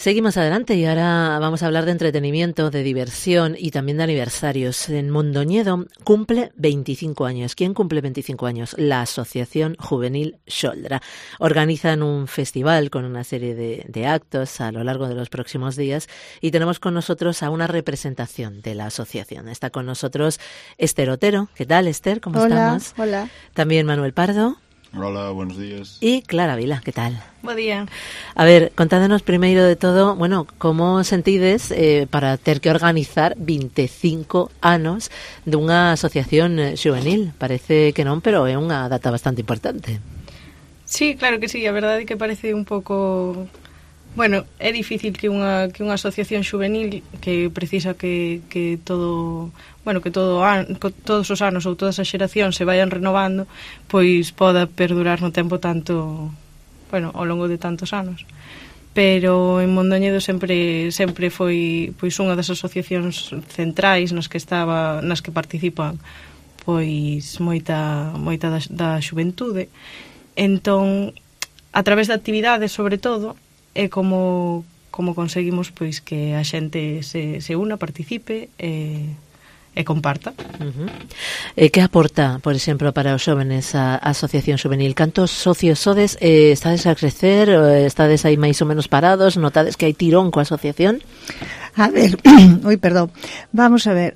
Seguimos adelante y ahora vamos a hablar de entretenimiento, de diversión y también de aniversarios. En Mondoñedo cumple 25 años. ¿Quién cumple 25 años? La Asociación Juvenil Xoldra. Organizan un festival con una serie de actos a lo largo de los próximos días y tenemos con nosotros a una representación de la asociación. Está con nosotros Esther Otero. ¿Qué tal, Esther? ¿Cómo estamos? Hola. También Manuel Pardo. Hola, buenos días. E Clara Vila, que tal? Bo día. A ver, contádenos primeiro de todo, bueno, como sentides para ter que organizar 25 anos dunha asociación xuvenil? Parece que non, pero é unha data bastante importante. Sí, claro que sí, a verdade é que parece un pouco... Bueno, é difícil que unha asociación xuvenil que precisa que todo... Bueno, que todos os anos ou todas as xeracións se vayan renovando, pois poda perdurar no tempo tanto, bueno, ao longo de tantos anos. Pero en Mondoñedo sempre foi pois unha das asociacións centrais nas que participan pois moita da xuventude. Entón, a través de actividades, sobre todo, é como conseguimos pois que a xente se una, participe e comparta. Que aporta, por exemplo, para os xóvenes a asociación xuvenil? Cantos socios sodes? Estades a crecer? Estades aí máis ou menos parados? Notades que hai tirón coa asociación? A ver, vamos a ver,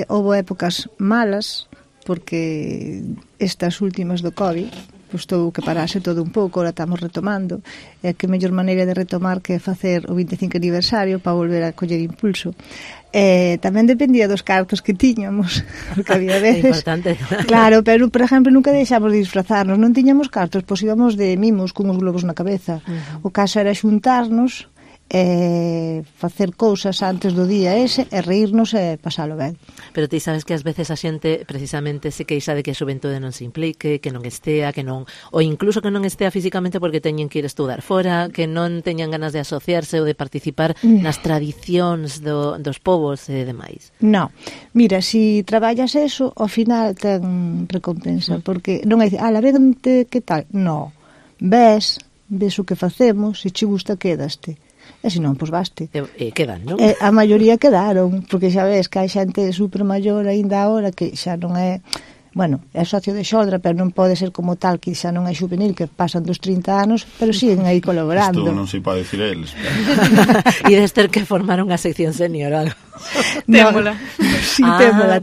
houve épocas malas, porque estas últimas do COVID, pois tuvo que parase todo un pouco, ahora estamos retomando, e que mellor maneira de retomar que facer o 25 aniversario para volver a coller impulso. Tamén dependía dos cartos que tiñamos, porque había veces... Importante. Claro, pero, por exemplo, nunca deixamos de disfrazarnos, non tiñamos cartos, pois íbamos de mimos con os globos na cabeza. O caso era xuntarnos, facer cousas antes do día ese e reírnos e pasalo ben. Pero ti sabes que ás veces a xente precisamente se queixa de que a xuventude non se implique, que non estea, que non, ou incluso que non estea físicamente porque teñen que ir estudar fora, que non teñan ganas de asociarse ou de participar nas tradicións dos povos e demais. No, mira, si traballas eso, ao final ten recompensa, porque non é dicir, vente, que tal? No, ves o que facemos, se che gusta, quedaste. E se non, pois vaste. Quedan, non? A maioría quedaron, porque xa ves que hai xente super maior aínda agora que xa non é... Bueno, é socio de Xoldra, pero non pode ser como tal, que xa non é juvenil, que pasan dos 30 anos, pero siguen aí colaborando. Isto non sei para dicir eles. E debes ter que formar unha sección senior ou algo. Témola. Sí,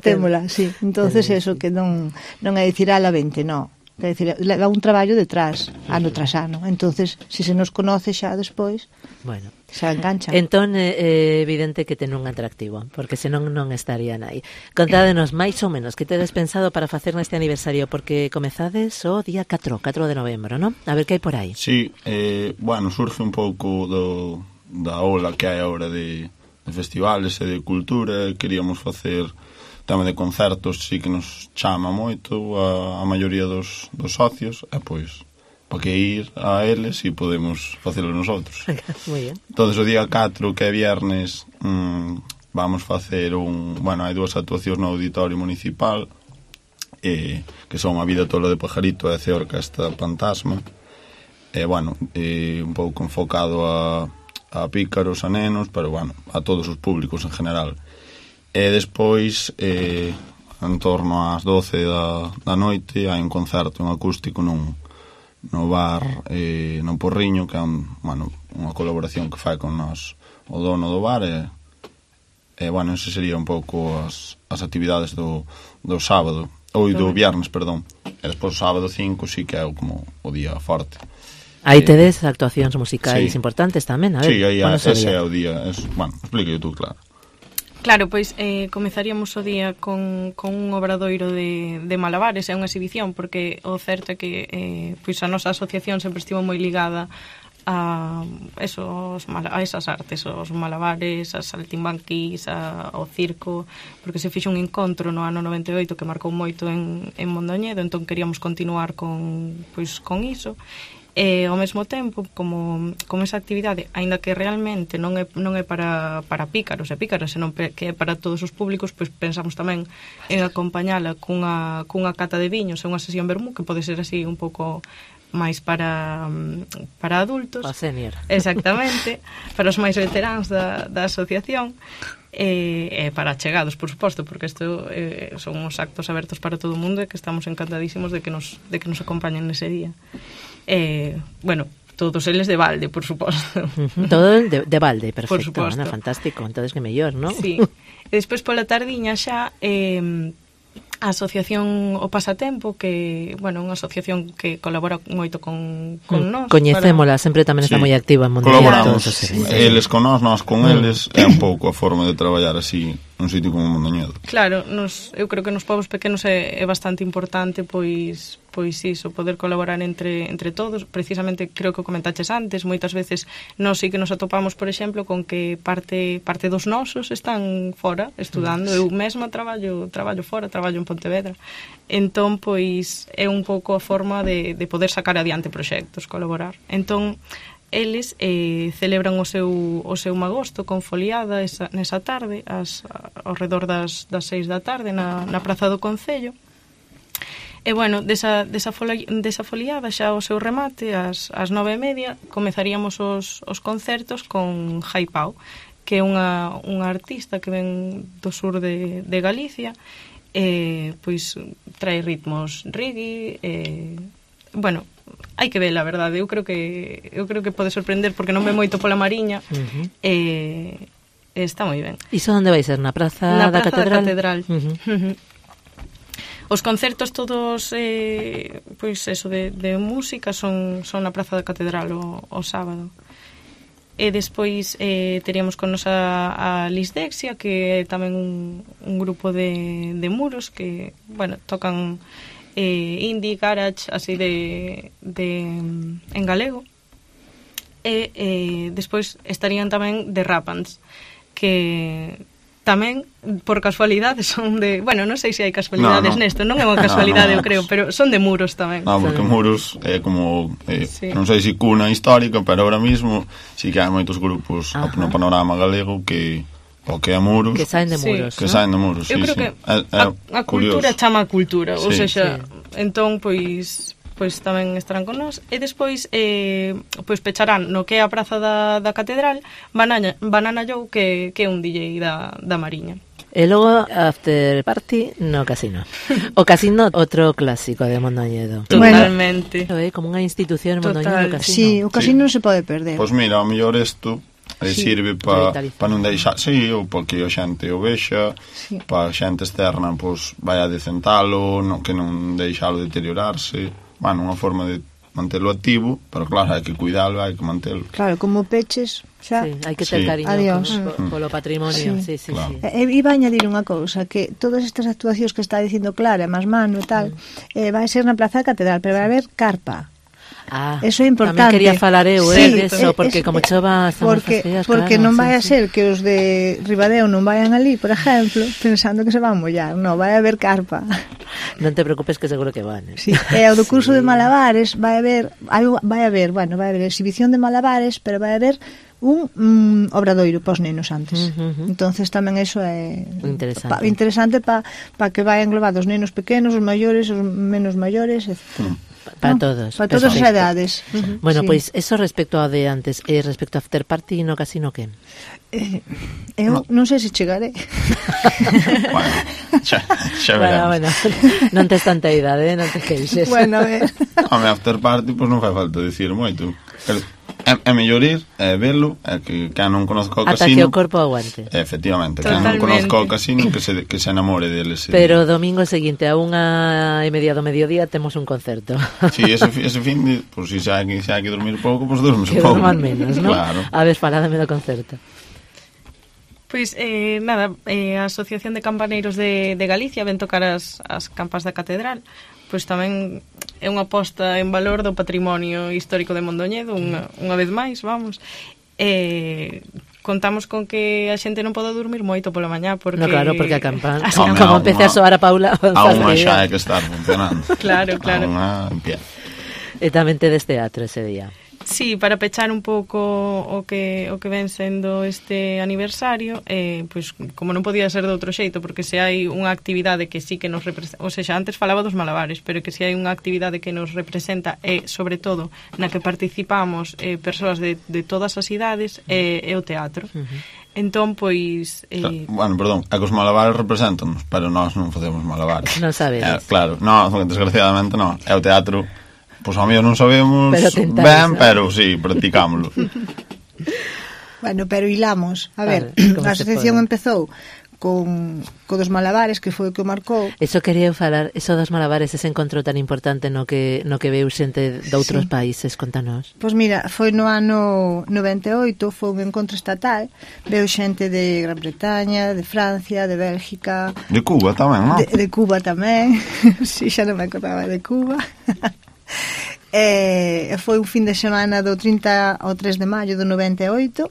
témola, sí. Entonces eso, que non é dicir a la 20, non. É dicir, leva un traballo detrás, ano tras ano. Entonces, se nos conoce xa despois, bueno, xa engancha. Entón é evidente que ten un atractivo, porque senón non estarían aí. Contádenos máis ou menos que tedes pensado para facer neste aniversario, porque comezades o día 4 de novembro, non? A ver que hai por aí. Sí, bueno, surge un pouco da ola que hai agora de festivales e de cultura. Queríamos facer tema de concertos, sí que nos chama moito a maioría dos socios, e pois para que ir a eles e podemos facelo nosotros. Muy bien. Entonces o día 4, que é viernes, vamos facer bueno, hai dúas actuacións no Auditorio Municipal, que son A vida tola de Pajarito e a Orquesta Fantasma, bueno, un pouco enfocado a pícaros, a nenos, pero bueno, a todos os públicos en general. E despois, en torno ás 12 da noite, hai un concerto, un acústico no bar no Porriño, que é unha colaboración que fai con nos o dono do bar, e bueno, ese sería un pouco as actividades do sábado, ou do viernes, perdón. E despois o sábado 5 sí que é como o día forte. Aí tedes actuacións musicais sí, importantes tamén, a ver. Sí, aí ese é o día. Bueno, explíqueo tú, claro. Claro, pois comezaríamos o día con un obradoiro de malabares, é unha exhibición, porque o certo é que pois a nosa asociación sempre estivo moi ligada a esas artes, os malabares, as saltimbanquis, ao circo, porque se fixo un encontro no ano 98 que marcou moito en Mondoñedo, entón queríamos continuar con iso. E ao mesmo tempo, como esa actividade, aínda que realmente non é para pícaros e pícaras, senón que é para todos os públicos, pois pensamos tamén en acompañala cunha cata de viños e unha sesión vermú, que pode ser así un pouco máis para adultos. Para senior. Exactamente, para os máis veteráns da asociación, e para chegados, por suposto, porque isto son uns actos abertos para todo o mundo e que estamos encantadísimos de que nos acompañen nese día. Bueno, todos eles de balde, por suposto. Todo de balde, perfecto. Por suposto. Ana, fantástico, entonces que mellor, ¿no? Sí. E despois pola tardiña xa a asociación O Pasatempo, que, bueno, unha asociación que colabora moito con nós. Coñecémola, sempre tamén está moi activa en Mondoñedo. Colaboramos, eles con nós con eles, é un pouco a forma de traballar así nun sitio como Mondoñedo. Claro, eu creo que nos povos pequenos é bastante importante, pois iso, poder colaborar entre todos. Precisamente, creo que o comentaches antes, moitas veces nós sí que nos atopamos, por exemplo, con que parte dos nosos están fora estudando. Eu mesma traballo fora, traballo en Pontevedra. Entón, pois, é un pouco a forma de poder sacar adiante proxectos, colaborar. Entón, eles celebran o seu magosto con foliada nesa tarde, ao redor das 6 da tarde na Praza do Concello. E, bueno, desa foliada xa o seu remate, ás 9:30, comezaríamos os concertos con Jai Pau, que é unha artista que ven do sur de Galicia, pois trae ritmos reggae, bueno, hai que ver, a verdade. Eu creo que pode sorprender porque non ve moito pola Mariña. Está moi ben. Iso onde vai ser? Na Praza da Catedral? Na Praza da Catedral. Os concertos todos, pois eso, de música son na Praza da Catedral o sábado. E despois teríamos con nos a Lisdexia, que é tamén un grupo de muros que, bueno, tocan indie, garage, así en galego. E despois estarían tamén de Rapans, que tamén, por casualidade, son de... Bueno, non sei se hai casualidades nesto, non é unha casualidade, eu creo, pero son de muros tamén. Porque muros é como, non sei se cuna histórica, pero ahora mismo sí que hai moitos grupos no panorama galego que o que é muros, que saen de muros, que saen de muros. Eu creo que a cultura chama a cultura, ou seja, entón, pois tamén estarán con nós. E despois pois pecharán no que é a Praza da Catedral Banana Joe, que é un DJ da Mariña. E logo after party no casino. O casino, outro clásico de Mondoñedo. Totalmente. Bueno, como unha institución en Mondoñedo, o casino. Sí, o casino non se pode perder. Pois mira, ao mellor isto sirve para non deixar, ou porque a xente o vexa, para a xente externa, pois vai a decentalo, que non deixalo deteriorarse. Bueno, unha forma de mantelo activo, pero claro, hai que cuidalo, hai que mantelo. Claro, como peches, xa... Sí, hai que ter cariño polo patrimonio. Sí, claro. E iba a añadir unha cousa, que todas estas actuacións que está dicindo Clara, máis mano e tal, vai ser na Praza da Catedral, pero vai haber carpa. Eso é importante. Tamén quería falar eu eso, porque como chova porque non vai a ser que os de Ribadeo non vayan ali, por exemplo, pensando que se van mollar. Non, vai haber carpa. Non te preocupes, que seguro que van. Sí. E o do curso de malabares vai haber exhibición de malabares, pero vai haber un obradoiro para os nenos antes. Entonces tamén eso é interesante para que vayan englobados os nenos pequenos, os maiores, os menos maiores, etc. Para todos. Para todas as edades. Bueno, pois eso respecto ao de antes. E respecto ao after party no casino, que? Eu non sei se chegaré. Bueno, xa veremos. Bueno, non tes tanta idade, non te queixes. Bueno, a ver. Home, after party, pois non fai falta dicir moito. É mellor ir, velo, que non conozco o casino. Ata que o corpo aguante. Efectivamente, que non conozco o casino, que se enamore deles. Pero o domingo seguinte, a 1:30 do mediodía, temos un concerto. Sí, ese fin de, pues, se hai que dormir pouco, pues dormes un pouco. Que dorman menos, ¿no? Claro. A ver, faládame do concerto. Pois, nada, a Asociación de Campaneiros de Galicia ven tocar as campas da Catedral. Pois tamén é unha posta en valor do patrimonio histórico de Mondoñedo, unha vez máis, vamos. Contamos con que a xente non pode dormir moito pola mañá, porque... No, claro, porque a campana, como empece a soar a Paula... A unha xa hai que estar funcionando. Claro. A unha en pie. E tamén tedes teatro ese día. Sí, para pechar un pouco o que ven sendo este aniversario, pois como non podía ser de outro xeito, porque se hai unha actividade que sí que nos representa, ou seja, antes falaba dos malabares, pero que se hai unha actividade que nos representa e, sobre todo, na que participamos persoas de todas as idades, é o teatro. Entón, pois... Bueno, perdón, é que os malabares representan-nos, pero nós non facemos malabares. Non sabedes. Claro, no, desgraciadamente non. É o teatro... Pois a mí non sabemos ben, pero sí, practicámoslo. Bueno, pero hilamos. A ver, a asociación empezou con dos malabares, que foi o que o marcou. Eso quería falar, eso dos malabares, ese encontro tan importante no que veu xente de outros países, contanos. Pois mira, foi no ano 98, foi un encontro estatal, veu xente de Gran Bretaña, de Francia, de Bélgica... De Cuba tamén, non? De Cuba tamén, si, xa non me acordaba de Cuba... foi un fin de semana do 30 ao 3 de maio do 98.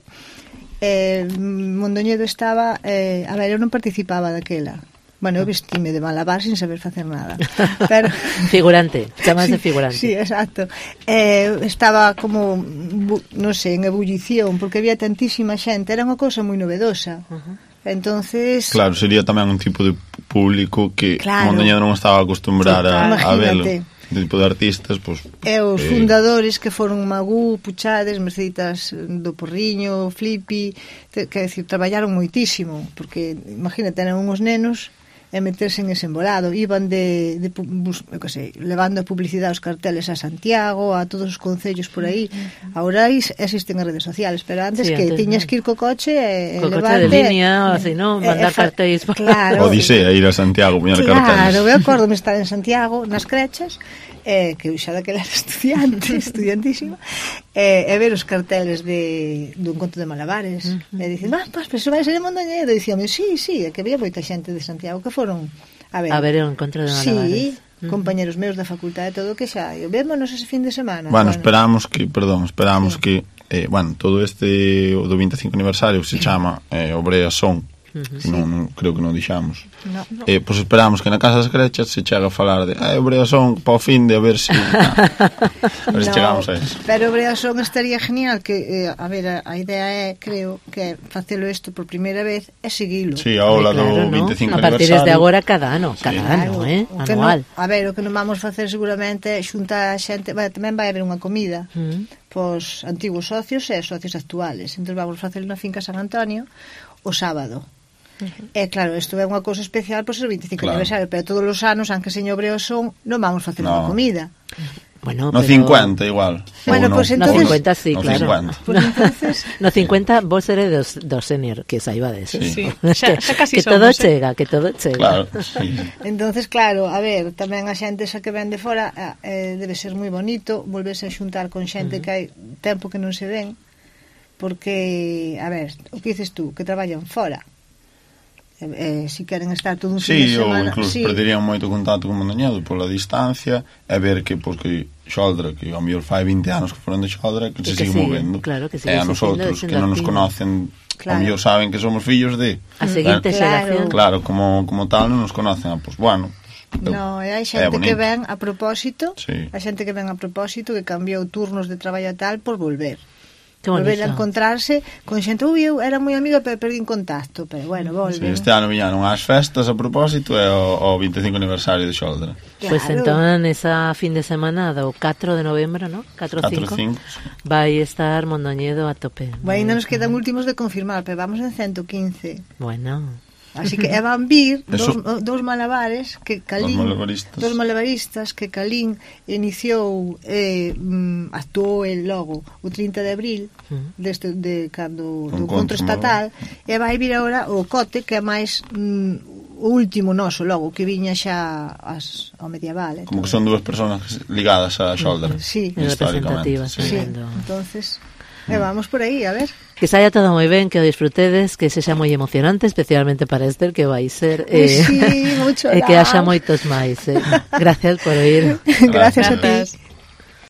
Mondoñedo estaba a ver, eu non participaba daquela. Bueno, eu vestime de malabar sin saber facer nada, pero... Figurante, chamas de figurante. Sí, exacto. Estaba como, non sei, en ebullición, porque había tantísima xente, era unha cousa moi novedosa. Entonces... Claro, sería tamén un tipo de público que Mondoñedo non estaba acostumbrado a velo. De tipo de artistas, pois... E os fundadores que foron Magú, Puchades, Merceditas do Porriño, Flippy, que decir, traballaron moitísimo, porque, imagínate, eran uns nenos e meterse en ese embolado, iban levando a publicidade aos carteles a Santiago, a todos os concellos por aí. Agora existen as redes sociales, pero antes tiñas que ir co coche e levarte... coche de línea, así, non? Mandar cartéis. Claro. Odisea, ir a Santiago, poñer carteles. Claro, eu acordo-me estar en Santiago, nas crechas, que eu xa daquela era estudiantísima, e ver os carteles do encontro de malabares, e dicen, pero iso vai ser en Mondoñedo, e dicíame, sí, é que había moita xente de Santiago que foron a ver o encontro de malabares. Sí, compañeros meus da facultade, todo que xa, e vémonos ese fin de semana. Bueno, esperamos que todo este do 25 aniversario se chama Obrea Son. Non, creo que non dixamos. Pois esperamos que na Casa das Crechas se chega a falar de Obreasón para o fin de a ver se chegamos a eso. Pero Obreasón estaría genial, que a ver, a idea é, creo que facelo isto por primeira vez é seguilo. Si, a ola do 25 aniversario. A partir desde agora cada ano, anual. A ver, o que non vamos facer seguramente é xuntar a xente, tamén vai haber unha comida pos antigos socios e socios actuales. Entón vamos facer na finca San Antonio o sábado. Claro, isto é unha cousa especial por ser o 25 aniversario, pero todos os anos, aunque señor Obreasón, non vamos facer unha comida. Bueno, no 50 igual. Bueno, pues entonces... No 50 sí, no claro. 50. Pues entonces... No 50 vos eres dos senior, que saibades. Sí. Xa casi que somos, todo chega, que todo chega. Claro, sí. Entonces, claro, a ver, tamén a xente esa que ven de fora debe ser moi bonito volverse a xuntar con xente que hai tempo que non se ven, porque, a ver, o que dices tú, que traballan fora. Si queren estar todo un fin de semana, ou incluso perderían moito contacto con Mondoñedo pola distancia, e ver que Xoldra, que ao mellor fai 20 anos que foron de Xoldra, que se sigue movendo, e a nosotros que non nos conocen, ao mellor saben que somos fillos de a seguinte xeración, claro, como tal non nos conocen, pois bueno. No, hai xente que ven a propósito, que cambiou turnos de traballo tal por volver. Volver a encontrarse con xente, eu era moi amiga pero perdín contacto, pero bueno, volven. Este ano viñaron ás festas a propósito e o 25 aniversario de Xoldra. Pois entón esa fin de semana do 4 de novembro, ¿no? 4-5 vai estar Mondoñedo a tope. Bueno, ainda nos quedan últimos de confirmar, pero vamos en 115. Bueno, así que van vir dos malabares que Calín, dos malabaristas que Calín iniciou, actuou el logo o 30 de abril de cando do encontro estatal, e vai vir agora o Cote, que é máis o último noso logo, que viña xa ao medieval. Como que son dúas personas ligadas a Xoldra, representativas. Entonces vamos por aí, a ver. Que saia todo moi ben, que o disfrutedes, que sexa moi emocionante, especialmente para Esther, que vai ser sí, mucho e que haxa moitos máis. Gracias por oír. Gracias a ti.